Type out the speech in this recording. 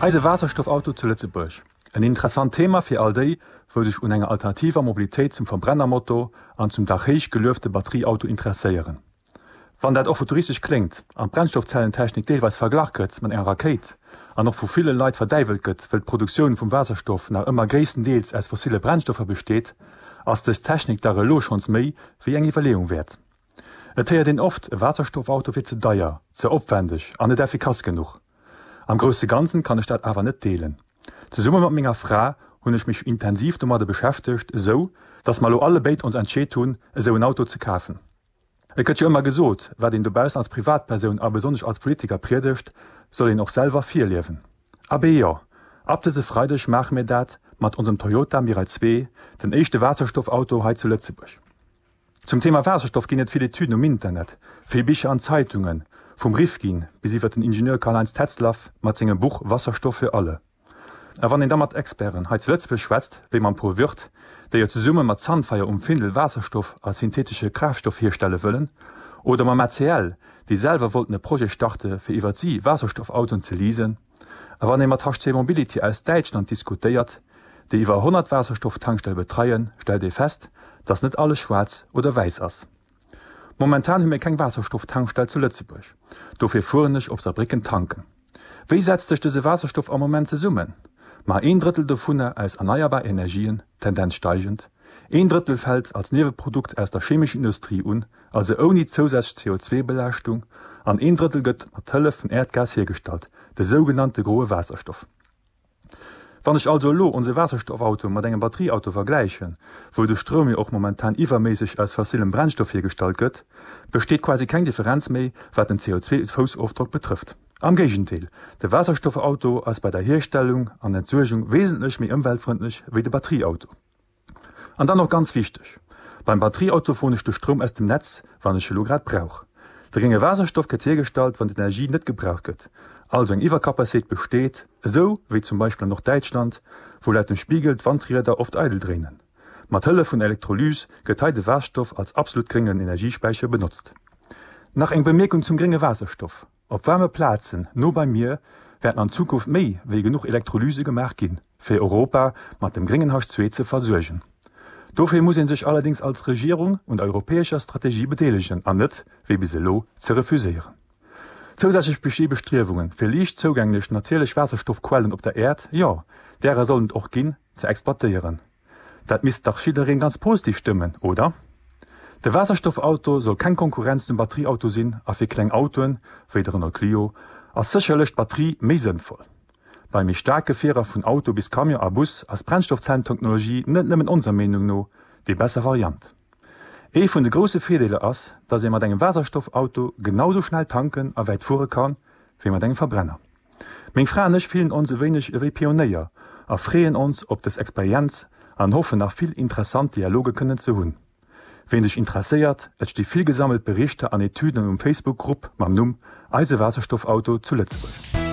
Eise Waasserstoffauto zu Lëtzebuerg, en interessant Thema fir all déi, wou sech un enger alternativer Mobilitéit zum Verbrennermotor an zum dach héich geluefte Batterieauto interesséieren. Wann dat och futuristesch kléngt an d'Brennstoffzellentechnik deelweis verglach gëtt mat enger Rakéit an och vu ville Leit verdäiwelt gëtt, wëll d'Produktioun vum Waasserstoff nach ëmmer gréisstendeels aus fossille Brennstoffer besteet, ass dës Technik dach elo schonns méi wéi eng Iwwerleeung wäert. Et héiert een oft, e Waasserstoffauto wier ze deier, ze opwendeg an net effikass genuch. Am grousse Ganzen kann ech dat awer net deelen. Zesumme mat menger Fra hunn ech mech intensiv domadde beschäftegt, esou datt mer elo allebéid ons entscheet hunn, esou en Auto ze kafen. Et gëtt jo ëmmer gesot, wat een dobaussen als Privatpersoun a besonnesch als Politiker priedegt, soll een och selwer virliewen. Abee jo, ab dëse Freideg maache mir dat mat onsem Toyota Mirai 2, den éischte Waasserstoffauto hei zu Lëtzebuerg. Zum Thema Waasserstoff ginn et vill Etüden um Internet, vill Bicher an Zeitungen, vum Rifkin bis iwwer den Ingenieur Karl-Heinz Tetzlaff mat sengem Buch Wasserstoff für alle. A wann een da mat Experten hei zu Lëtzebuerg schwätzt, wéi mam Paul Wirth, déi jo zesumme mat Sunfire um Findel Waasserstoff als syntheetesche Kraaftstoff hierstelle wëllen, oder mam ACL, déi selwer wollten e Projet starte fir iwwert si Waasserstoffautoen ze leasen, a wann ee mat HC Mobility aus Däitschland diskutéiert, déi iwwer 100 Waasserstofftankstelle betreien, stellt ee fest, dass net alles schwaarz oder wäiss ass. Momentan hu mir keng Waasserstofftankstell zu Lëtzebuerg, dofir fueren ech op Saarbrécken tanken. Wéi setzt sech dëse Waasserstoff am Moment zesummen? Ma een Drëttel dovunner aus erneierbar Energien, Tendenz steigend, een Drëttel fält als Nieweprodukt aus der chemescher Industrie un, also ouni zousätzlech CO2-Belaaschtung, an een Drëttel gëtt mat Hëllef vun Äerdgas hiergestallt, de sougenannte groe Waasserstoff. Wann ech also elo onse Waasserstoffauto mat engem Batterieauto vergläichen, wou de Stroum jo och momentan iwwerméisseg aus fossilem Brennstoff hiergestallt gëtt, besteet quasi keng Differenz méi, wat den CO2-Foussofdrock betrëfft. Am Géigendeel, de Waasserstoffauto ass bei der Hierstellung an Entsuergung wesentlech méi ëmweltfrëndlech wéi de Batterieauto. An dann och ganz wichteg, Beim Batterieauto froen ech de Stroum aus dem Netz, wann ech e lo grad brauch. De grénge Waasserstoff gëtt hiergestallt, wann d'Energie net gebraucht gëtt, also eng Iwwercapacitéit besteet, esou wéi zum Beispill an Norddäitschland, wou laut dem Spiegel d'Wandrieder oft eidel dréinen. Mat Hëllef vun Elektrolyse gëtt hei de Waasserstoff als absolut gréngen Energiespäicher benotzt. Nach eng Bemierkung zum grénge Waasserstoff. Op waarme Plazen no beim Mier wäerten an Zukunft méi wéi genuch Elektrolyse gemaach ginn, fir Europa mat dem gréngen H2 ze versuergen. Dofir muss ee sech allerdéngs als Regierung un der europäescher Strategie bedeelegen an net, wéi bis elo, ze refuséieren. Zousätzlech besti Bestriewungen, fir liicht zougänglech natierlech Waasserstoffquellen op der Äerd, jo, därer sollen et och ginn, ze exploitéieren. Dat misst dach jiddereen ganz positiv stëmmen, oder? De Waasserstoffauto soll keng Konkurrenz zum Batterieauto sinn a fir kleng Autoen, wéi de Renault Clio, ass sécherlech d'Batterie méi sënnvoll. Bei méi staark Gefierer vun Auto bis Camion a Bus ass d'Brennstoffzellentechnologie net nëmmen onser Meenung no déi besser Variant. Ee vun de grousse Virdeeler ass, dass ee mat engem Waasserstoffauto genau sou schnell tanken a wäit fuere kann, wéi mat engem Verbrenner. Meng Fra an ech fillen ons e wéineg ewéi Pionéier a freeën ons op des Experienz an hoffen nach vill interessant Dialoge kënnen ze hunn. Ween sech interesséiert, et sti vill gesammelt Berichter an Etüden um Facebook Grupp mam Numm Eise Waasserstoffauto zu Lëtzebuerg.